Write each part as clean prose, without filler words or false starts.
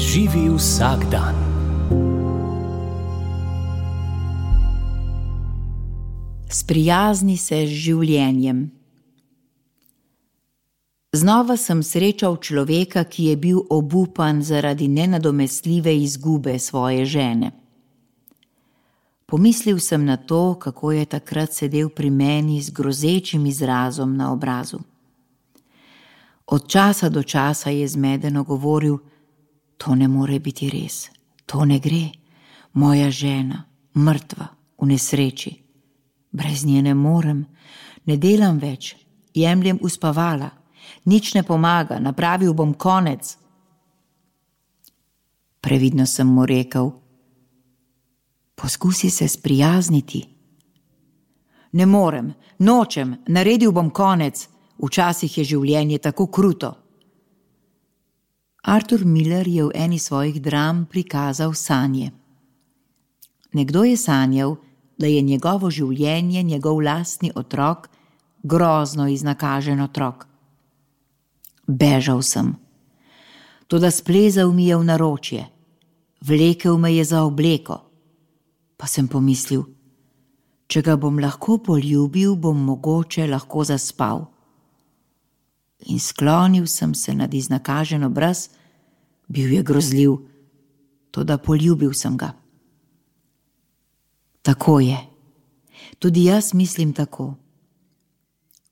Živi vsak dan. Sprijazni se z življenjem. Znova sem srečal človeka, ki je bil obupan zaradi nenadomestljive izgube svoje žene. Pomislil sem na to, kako je takrat sedel pri meni z grozečim izrazom na obrazu. Od časa do časa je zmedeno govoril: to ne more biti res, to ne gre, moja žena, mrtva, v nesreči. Brez nje ne morem, ne delam več, jemljem uspavala, nič ne pomaga, napravil bom konec. Previdno sem mu rekel: poskusi se sprijazniti. Ne morem, nočem, naredil bom konec, včasih je življenje tako kruto. Arthur Miller je v eni svojih dram prikazal sanje. Nekdo je sanjal, da je njegovo življenje njegov lastni otrok, grozno iznakažen otrok. Bežal sem. Toda splezal mi je v naročje. Vlekel me je za obleko. Pa sem pomislil, če ga bom lahko poljubil, bom mogoče lahko zaspal. In sklonil sem se nad iznakažen obraz, bil je grozljiv, toda poljubil sem ga. Tako je. Tudi jaz mislim tako.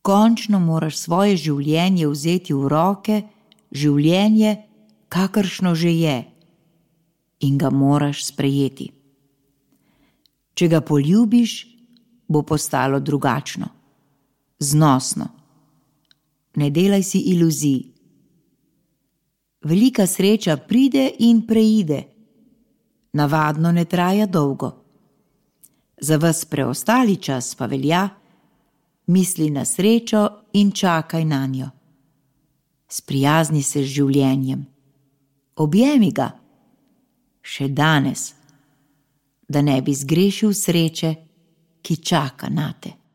Končno moraš svoje življenje vzeti v roke, življenje, kakršno že je, in ga moraš sprejeti. Če ga poljubiš, bo postalo drugačno, znosno. Ne delaj si iluzij. Velika sreča pride in preide. Navadno ne traja dolgo. Za ves preostali čas pa velja: misli na srečo in čakaj nanjo. Sprijazni se z življenjem. Objemi ga. Še danes, da ne bi zgrešil sreče, ki čaka nate.